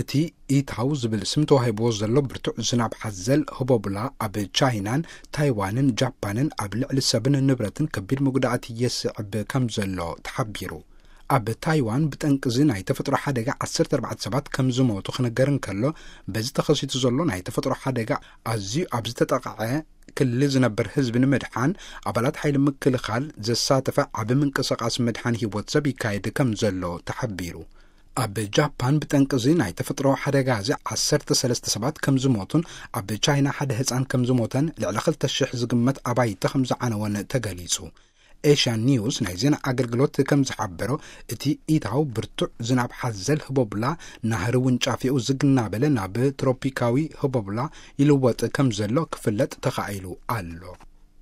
እቲ ኢታው ዝብል ስም ተዋሂብዎ ዘሎ ብርቱዕ ዝናብ ሓዘል ህቦብላ ኣብ ቻይናን ታይዋንን ጃፓንን ኣብ ልዕሊ ሰብን ንብረትን ከቢድ መጉዳእቲ የስዕብ ከም ዘሎ ተሓቢሩ። ኣብ ታይዋን ብጠንቅዚ ናይ ተፈጥሮ ሓደጋ ዓሰርተ ኣርባዕተ ሰባት ከም ዝሞቱ ክነገር እንከሎ፣ በዚ ተኸሲቱ ዘሎ ናይ ተፈጥሮ ሓደጋ ኣዝዩ ኣብ ዝተጠቕዐ ክሊ ዝነብር ህዝቢ ንምድሓን ኣባላት ሓይሊ ምክልኻል ዘሳተፈ ዓቢ ምንቅስቓስ ምድሓን ህይወት ሰብ ይካየድ ከም ዘሎ ተሓቢሩ። ኣብ ጃፓን ብጠንቅዚ ናይ ተፈጥሮ ሓደጋ እዚ ዓሰርተ ሰለስተ ሰባት ከም ዝሞቱን ኣብ ቻይና ሓደ ህፃን ከም ዝሞተን ልዕሊ ክልተ ሽሕ ዝግመት ኣባይቲ ከም ዝዓነወን ተገሊጹ። ኤሽያን ኒውስ ናይ ዜና ኣገልግሎት ከም ዝሓበሮ፣ እቲ ኢታው ብርቱዕ ዝናብ ሓዘል ህቦብላ ናህሪ ውንጫፊኡ ዝግ እናበለ ናብ ትሮፒካዊ ህቦብላ ይልወጥ ከም ዘሎ ክፍለጥ ተኻኢሉ ኣሎ።